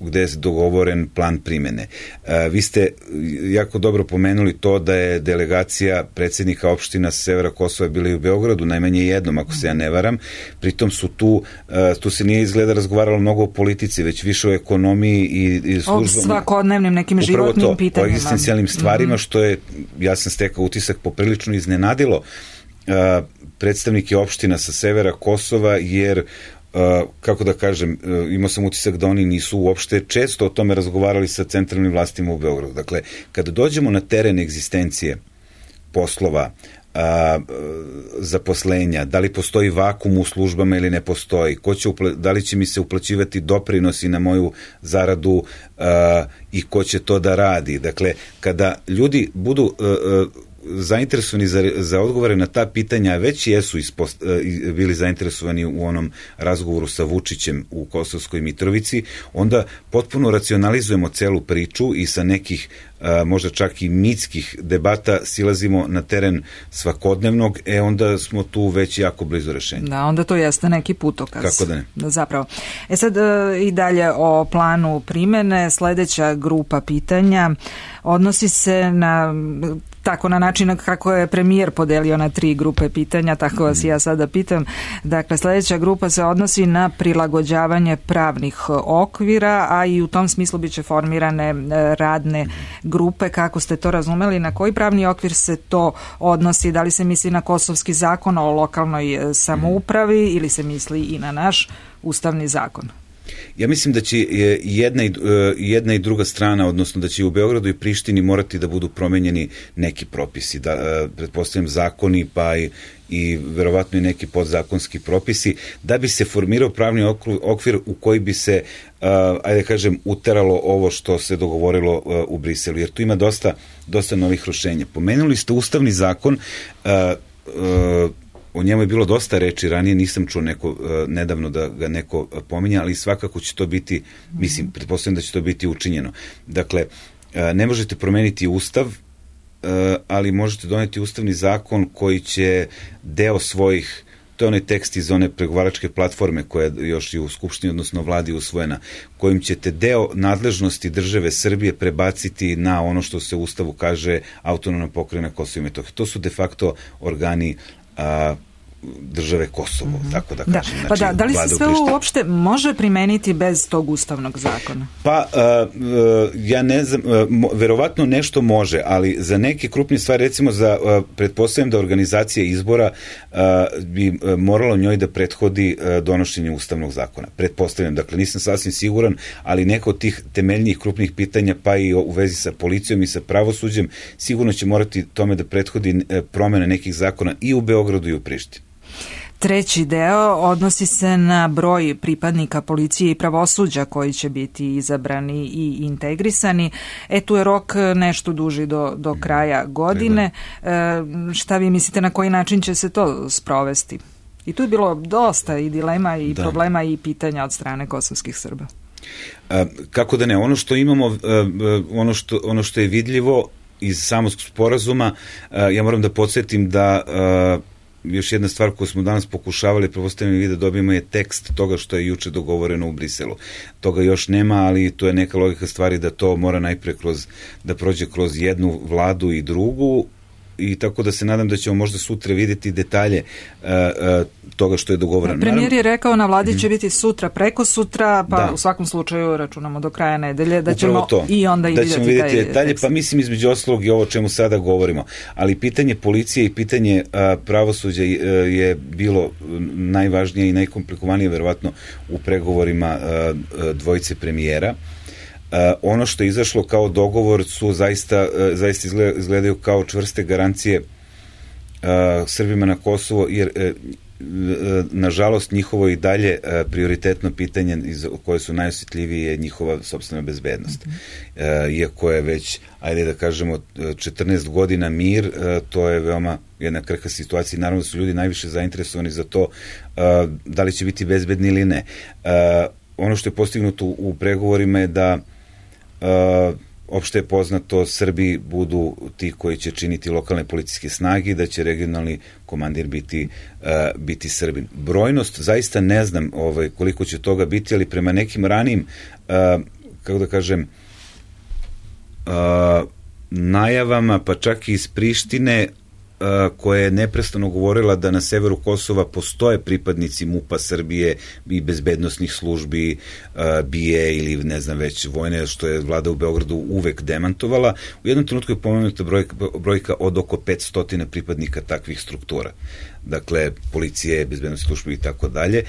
gde je dogovoren plan primene. E, vi ste jako dobro pomenuli to da je delegacija predsjednika opština sa severa Kosova bila i u Beogradu, najmanje jednom, ako se ja ne varam. Pritom su tu, e, tu se nije izgleda razgovaralo mnogo o politici, već više o ekonomiji i, i službama. O svakodnevnim nekim životnim to, pitanjima. O egzistencijalnim stvarima, mm-hmm. što je, ja sam stekao utisak, poprilično iznenadilo e, predstavnike opština sa severa Kosova, jer Uh, kako da kažem, uh, imao sam utisak da oni nisu uopšte često o tome razgovarali sa centralnim vlastima u Beogradu. Dakle, kada dođemo na teren egzistencije poslova, uh, zaposlenja, da li postoji vakum u službama ili ne postoji, ko će upla- da li će mi se uplaćivati doprinosi na moju zaradu uh, i ko će to da radi. Dakle, kada ljudi budu uh, uh, zainteresovani za, za odgovore na ta pitanja, već jesu ispost, bili zainteresovani u onom razgovoru sa Vučićem u Kosovskoj Mitrovici, onda potpuno racionalizujemo celu priču i sa nekih a, možda čak i mitskih debata silazimo na teren svakodnevnog, e onda smo tu već jako blizu rešenja. Da, onda to jeste neki putokaz. Kako da ne? Zapravo. E sad i dalje o planu primene, sledeća grupa pitanja odnosi se na tako na način kako je premijer podelio na tri grupe pitanja, tako vas ja sada pitam. Dakle, sledeća grupa se odnosi na prilagođavanje pravnih okvira, a i u tom smislu biće formirane radne grupe. Kako ste to razumeli? Na koji pravni okvir se to odnosi? Da li se misli na kosovski zakon o lokalnoj samoupravi ili se misli i na naš ustavni zakon? Ja mislim da će jedna i, jedna i druga strana, odnosno da će u Beogradu i Prištini morati da budu promenjeni neki propisi, da pretpostavljam zakoni, pa i, i verovatno i neki podzakonski propisi, da bi se formirao pravni okvir u koji bi se, uh, ajde kažem, uteralo ovo što se dogovorilo uh, u Briselu, jer tu ima dosta, dosta novih rešenja. Pomenuli ste ustavni zakon, uh, uh, o njemu je bilo dosta reči ranije, nisam čuo neko, uh, nedavno da ga neko pominja, ali svakako će to biti, mislim, pretpostavljam da će to biti učinjeno. Dakle, uh, ne možete promeniti ustav, uh, ali možete doneti ustavni zakon koji će deo svojih, to je onaj tekst iz one pregovaračke platforme koja je još i u Skupštini, odnosno vladi usvojena, kojim ćete deo nadležnosti države Srbije prebaciti na ono što se u ustavu kaže autonomna pokrajina Kosovo i Metohija. To su de facto organi a, države Kosovo, mm-hmm. tako da kažem. Da. Znači, pa da, da li se sve ovo uopšte može primeniti bez tog ustavnog zakona? Pa, uh, uh, ja ne znam, uh, mo, verovatno nešto može, ali za neke krupnije stvari, recimo za, uh, pretpostavljam da organizacija izbora uh, bi uh, moralo njoj da prethodi uh, donošenje ustavnog zakona. Pretpostavljam, dakle, nisam sasvim siguran, ali neko od tih temeljnijih krupnih pitanja, pa i u vezi sa policijom i sa pravosuđem, sigurno će morati tome da prethodi uh, promene nekih zakona i u Beogradu i u Prištini. Treći deo odnosi se na broj pripadnika policije i pravosuđa koji će biti izabrani i integrisani. E, tu je rok nešto duži do, do kraja godine. E, šta vi mislite na koji način će se to sprovesti? I tu je bilo dosta i dilema i da. problema i pitanja od strane kosovskih Srba. A, kako da ne, ono što imamo, ono što, ono što je vidljivo iz samog sporazuma, ja moram da podsjetim da još jedna stvar koju smo danas pokušavali, pretpostavljam i da dobijemo, je tekst toga što je juče dogovoreno u Briselu. Toga još nema, ali to je neka logika stvari da to mora najpre kroz, da prođe kroz jednu vladu i drugu, i tako da se nadam da ćemo možda sutra vidjeti detalje uh, uh, toga što je dogovoreno. Premijer je rekao na vladi će mm. biti sutra, preko sutra, pa da. u svakom slučaju računamo do kraja nedelje da ćemo to. i onda i da vidjeti, vidjeti taj detalje, tekst. Pa mislim između ostalog i ovo o čemu sada govorimo. Ali pitanje policije i pitanje uh, pravosuđa uh, je bilo najvažnije i najkomplikovanije verovatno u pregovorima uh, dvojice premijera. Uh, ono što je izašlo kao dogovor su zaista, uh, zaista izgledaju kao čvrste garancije uh, Srbima na Kosovo, jer uh, uh, nažalost njihovo i dalje uh, prioritetno pitanje iz, koje su najosjetljivije je njihova sopstvena bezbednost. Mm-hmm. Uh, iako je već, ajde da kažemo, četrnaest godina mir, uh, to je veoma jedna krhka situacija i naravno su ljudi najviše zainteresovani za to uh, da li će biti bezbedni ili ne. Uh, ono što je postignuto u, u pregovorima je da Uh, opšte je poznato, Srbi budu ti koji će činiti lokalne policijske snage, da će regionalni komandir biti, uh, biti Srbin. Brojnost, zaista ne znam ovaj, koliko će toga biti, ali prema nekim ranijim, uh, kako da kažem, uh, najavama, pa čak i iz Prištine, koja je neprestano govorila da na severu Kosova postoje pripadnici MUP-a Srbije i bezbednosnih službi, B I A ili ne znam već vojne, što je vlada u Beogradu uvek demantovala. U jednom trenutku je pomenuta brojka, brojka od oko petsto pripadnika takvih struktura. Dakle, policije, bezbednosne službe i tako dalje,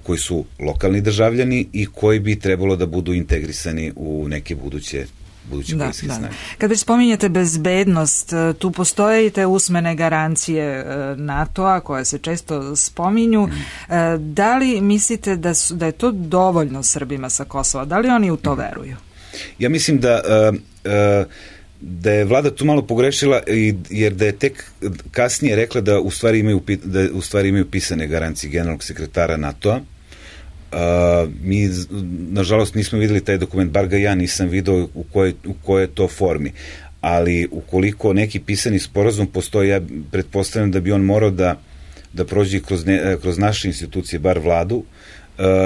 koji su lokalni državljani i koji bi trebalo da budu integrisani u neke buduće buduće da, da, da. Kad već spominjete bezbednost, tu postoje i te usmene garancije NATO-a koje se često spominju. Mm. Da li mislite da, su, da je to dovoljno Srbima sa Kosova? Da li oni u to veruju? Ja mislim da uh, uh, da je vlada tu malo pogrešila, jer da je tek kasnije rekla da u stvari imaju, da u stvari imaju pisane garancije generalnog sekretara NATO-a. Uh, mi, nažalost, nismo videli taj dokument, bar ga ja nisam video u kojoj, u kojoj to formi, ali ukoliko neki pisani sporazum postoji, ja pretpostavljam da bi on morao da, da prođe kroz, ne, kroz naše institucije, bar vladu, uh,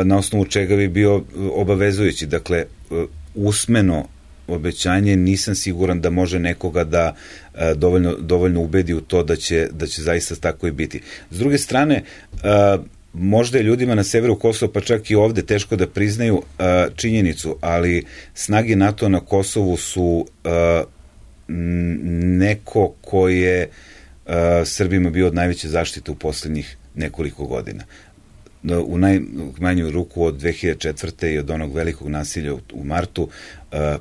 na osnovu čega bi bio obavezujući. Dakle, uh, usmeno obećanje nisam siguran da može nekoga da uh, dovoljno, dovoljno ubedi u to da će, da će zaista tako i biti. S druge strane, uh, možda je ljudima na severu Kosova, pa čak i ovde, teško da priznaju uh, činjenicu, ali snage NATO na Kosovu su uh, neko ko je uh, Srbima bio od najveće zaštite u poslednjih nekoliko godina. u najmanju ruku od dve hiljade četvrte i od onog velikog nasilja u martu,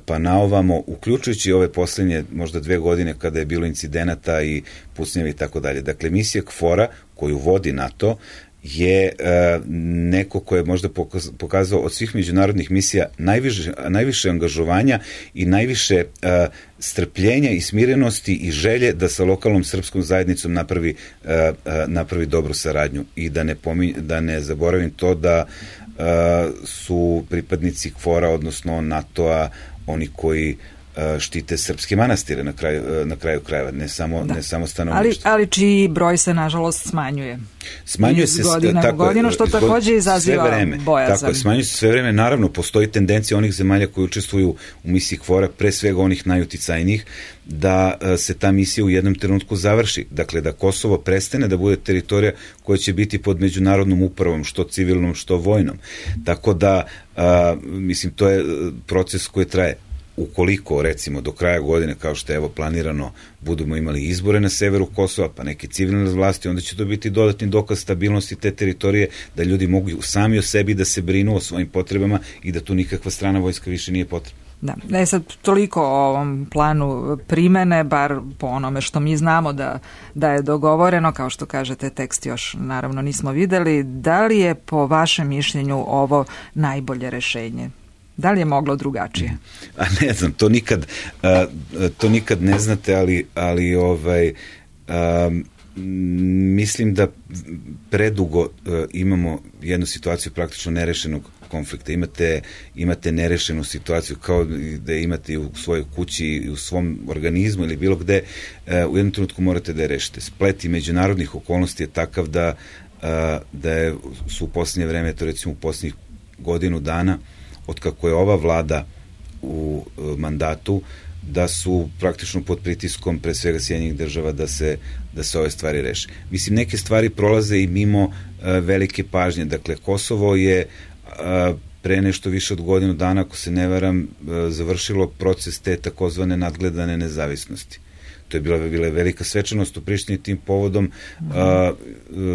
pa naovamo, uključujući ove poslednje možda dve godine kada je bilo incidenata i pucnjevi i tako dalje. Dakle, misija KFOR-a koju vodi NATO je uh, neko ko je možda pokazao od svih međunarodnih misija najviše, najviše angažovanja i najviše uh, strpljenja i smirenosti i želje da sa lokalnom srpskom zajednicom napravi, uh, uh, napravi dobru saradnju. I da ne, pominj, da ne zaboravim to da uh, su pripadnici KFOR-a, odnosno NATO-a, oni koji štite srpske manastire na kraju, na kraju krajeva, ne samo, ne samo stanovništvo. Ali, ali čiji broj se nažalost smanjuje. Smanjuje se godina tako, u godinu, što takođe izaziva bojazan. Tako je, smanjuje se sve vreme. Naravno, postoji tendencija onih zemalja koji učestvuju u misiji KFOR-a, pre svega onih najuticajnijih, da se ta misija u jednom trenutku završi. Dakle, da Kosovo prestane da bude teritorija koja će biti pod međunarodnom upravom, što civilnom, što vojnom. Tako da, a, mislim, to je proces koji traje. Ukoliko, recimo, do kraja godine, kao što je evo planirano, budemo imali izbore na severu Kosova, pa neke civilne vlasti, onda će to biti dodatni dokaz stabilnosti te teritorije, da ljudi mogu sami o sebi da se brinu o svojim potrebama i da tu nikakva strana vojska više nije potrebna. Da, ne sad toliko o ovom planu primene, bar po onome što mi znamo da, da je dogovoreno, kao što kažete, tekst još naravno nismo videli. Da li je po vašem mišljenju ovo najbolje rešenje? Da li je moglo drugačije? A ne znam, to nikad, a, to nikad ne znate, ali, ali ovaj, a, mislim da predugo a, imamo jednu situaciju praktično nerešenog konflikta. Imate, imate nerešenu situaciju kao da imate u svojoj kući i u svom organizmu ili bilo gde, a, u jednom trenutku morate da je rešite. Splet i međunarodnih okolnosti je takav da, a, da je, su u posljednje vreme, to recimo u posljednjih godinu dana, od kako je ova vlada u mandatu, da su praktično pod pritiskom pre svega Sjedinjenih država da se, da se ove stvari reše. Mislim, neke stvari prolaze i mimo uh, velike pažnje. Dakle, Kosovo je uh, pre nešto više od godinu dana, ako se ne varam, uh, završilo proces te takozvane nadgledane nezavisnosti. To je bila, bila velika svečanost u Prištini tim povodom. Mm. A,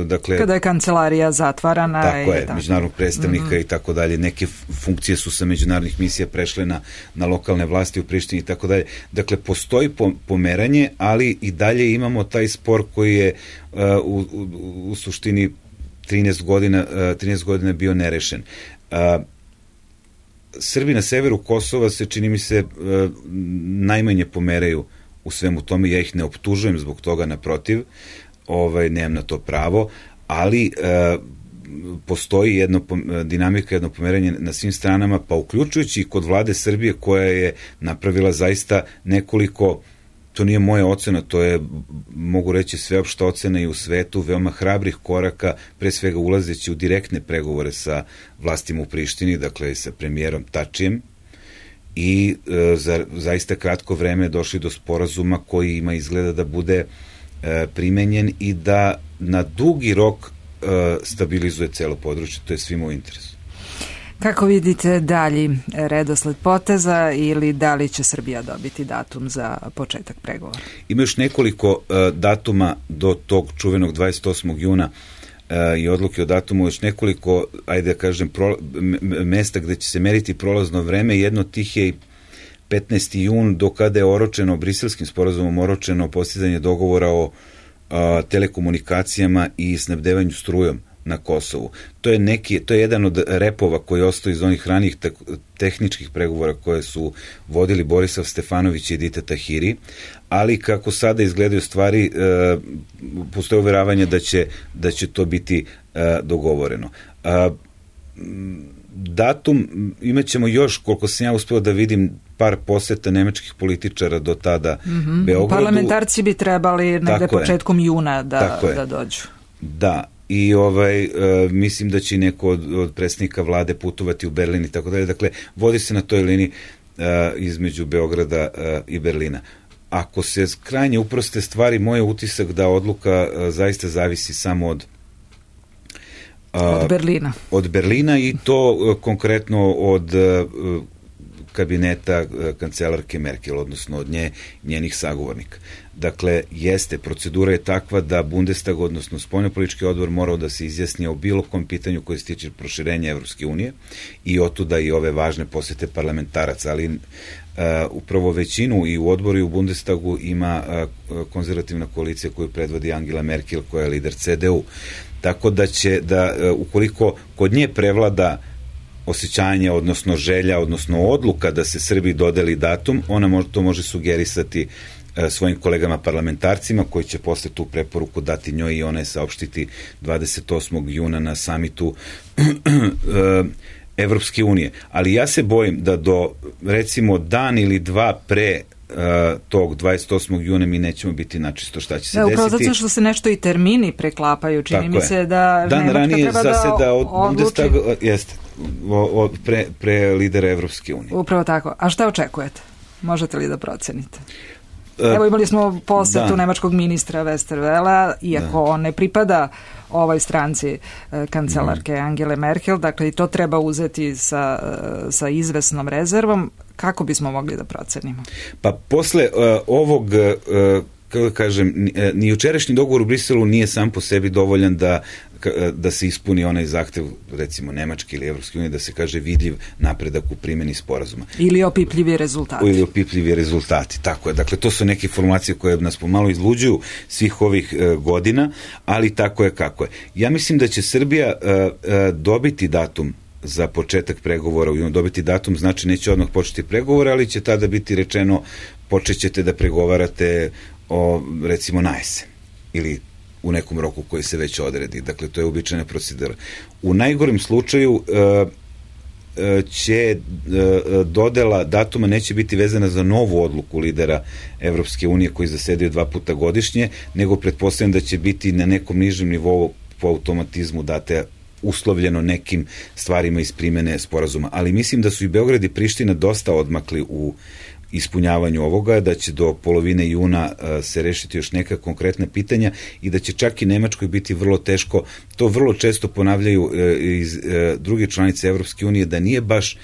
dakle, kada je kancelarija zatvarana. Tako je, tako. međunarodnog predstavnika mm. i tako dalje. Neke funkcije su sa međunarodnih misija prešle na, na lokalne vlasti u Prištini i tako dalje. Dakle, postoji pomeranje, ali i dalje imamo taj spor koji je uh, u, u, u suštini trinaest godina, uh, trinaest godina bio nerešen. Uh, Srbi na severu Kosova se, čini mi se, uh, najmanje pomeraju u svemu tome. Ja ih ne optužujem zbog toga, naprotiv, ovaj, nemam na to pravo, ali e, postoji jedno, dinamika, jedno pomeranje na svim stranama, pa uključujući i kod vlade Srbije koja je napravila zaista nekoliko, to nije moja ocena, to je, mogu reći, sveopšta ocena i u svetu, veoma hrabrih koraka, pre svega ulazeći u direktne pregovore sa vlastima u Prištini, dakle sa premijerom Tačijem, i e, za zaista kratko vreme došli do sporazuma koji ima izgleda da bude e, primenjen i da na dugi rok e, stabilizuje celo područje, to je svima u interesu. Kako vidite dalji redosled poteza ili da li će Srbija dobiti datum za početak pregovora? Ima još nekoliko e, datuma do tog čuvenog dvadeset osmog juna i odluke o datumu, još nekoliko, ajde da kažem, pro, mesta gde će se meriti prolazno vreme. Jedno od tih je petnaesti jun, do kada je oročeno, briselskim sporazumom oročeno postizanje dogovora o a, telekomunikacijama i snabdevanju strujom na Kosovu. To je neki, to je jedan od repova koji ostaje iz onih ranijih te, tehničkih pregovora koje su vodili Borislav Stefanović i Edita Tahiri, ali kako sada izgledaju stvari, e, postoje uveravanje da će, da će to biti e, dogovoreno. A, datum, imat ćemo još, koliko sam ja uspeo da vidim, par poseta nemačkih političara do tada mm-hmm. Beogradu. Parlamentarci bi trebali negde početkom juna da, da dođu. Da, i ovaj, e, mislim da će neko od, od predsjednika vlade putovati u Berlin i tako dalje. Dakle, vodi se na toj liniji e, između Beograda e, i Berlina. Ako se krajnje uproste stvari, moj je utisak da odluka e, zaista zavisi samo od e, od Berlina. Od Berlina i to e, konkretno od e, kabineta e, kancelarke Merkel, odnosno od nje, njenih sagovornika. Dakle, jeste, procedura je takva da Bundestag, odnosno spoljnopolitički odbor, morao da se izjasni o bilo kom pitanju koje se tiče proširenja Evropske unije i otuda i ove važne posete parlamentaraca, ali uh, upravo većinu i u odboru i u Bundestagu ima uh, konzervativna koalicija koju predvodi Angela Merkel, koja je lider C D U. Tako da će, da uh, ukoliko kod nje prevlada osjećanje, odnosno želja, odnosno odluka da se Srbiji dodeli datum, ona može, to može sugerisati e, svojim kolegama parlamentarcima koji će posle tu preporuku dati njoj i ona je saopštiti dvadeset osmog juna na samitu e, Evropske unije. Ali ja se bojim da do recimo dan ili dva pre Uh, tog dvadeset osmog juna mi nećemo biti načisto šta će se da, desiti. Upravo zato što se nešto i termini preklapaju, čini tako mi je. se da dan Nemačka ranije treba zaseda da od odluči. Bundestaga, jeste, o, o, pre, pre lidera Evropske unije. Upravo tako. A šta očekujete? Možete li da procenite? Evo imali smo posetu da. nemačkog ministra Westerwela, iako da. on ne pripada ovoj stranci e, kancelarke mm. Angele Merkel, dakle i to treba uzeti sa, sa izvesnom rezervom. Kako bismo mogli da procenimo? Pa posle uh, ovog, uh, kako kažem, ni jučerašnji dogovor u Briselu nije sam po sebi dovoljan da da se ispuni onaj zahtev, recimo Nemačke ili Evropske unije, da se kaže vidljiv napredak u primjeni sporazuma. Ili opipljivi rezultati. Ili opipljivi rezultati, tako je. Dakle, to su neke formulacije koje nas pomalo izluđuju svih ovih e, godina, ali tako je kako je. Ja mislim da će Srbija e, e, dobiti datum za početak pregovora, dobiti datum znači neće odmah početi pregovore, ali će tada biti rečeno počet ćete da pregovarate o, recimo, na jesen ili u nekom roku koji se već odredi. Dakle, to je uobičajena procedura. U najgorem slučaju e, e, će e, dodela datuma neće biti vezana za novu odluku lidera Evropske unije koji zasedaju dva puta godišnje, nego pretpostavljam da će biti na nekom nižem nivou po automatizmu date uslovljeno nekim stvarima iz primene sporazuma. Ali mislim da su i Beograd i Priština dosta odmakli u ispunjavanju ovoga, da će do polovine juna uh, se rešiti još neka konkretna pitanja i da će čak i Nemačkoj biti vrlo teško, to vrlo često ponavljaju uh, iz uh, druge članice Evropske unije, da nije baš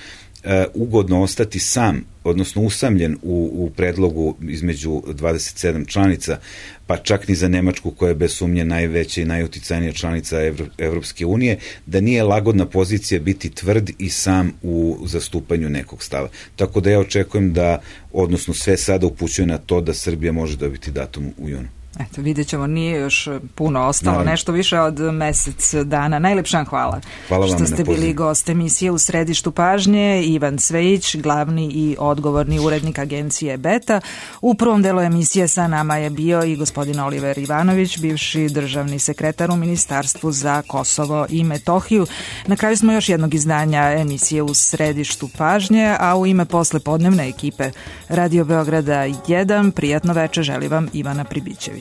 uh, ugodno ostati sam, odnosno usamljen u, u predlogu između dvadeset sedam članica, pa čak ni za Nemačku koja je bez sumnje najveća i najuticajnija članica Evro, Evropske unije, da nije lagodna pozicija biti tvrd i sam u zastupanju nekog stava. Tako da ja očekujem da, odnosno sve sada upućuje na to da Srbija može dobiti datum u junu. Eto, vidjet ćemo, nije još puno ostalo, Naravno. nešto više od mesec dana. Najlepša hvala, hvala što ste bili gost emisije U središtu pažnje. Ivan Cvejić, glavni i odgovorni urednik agencije Beta. U prvom delu emisije sa nama je bio i gospodin Oliver Ivanović, bivši državni sekretar u Ministarstvu za Kosovo i Metohiju. Na kraju smo još jednog izdanja emisije U središtu pažnje, a u ime poslepodnevne ekipe Radio Beograda jedan, prijatno veče želi vam Ivana Pribićević.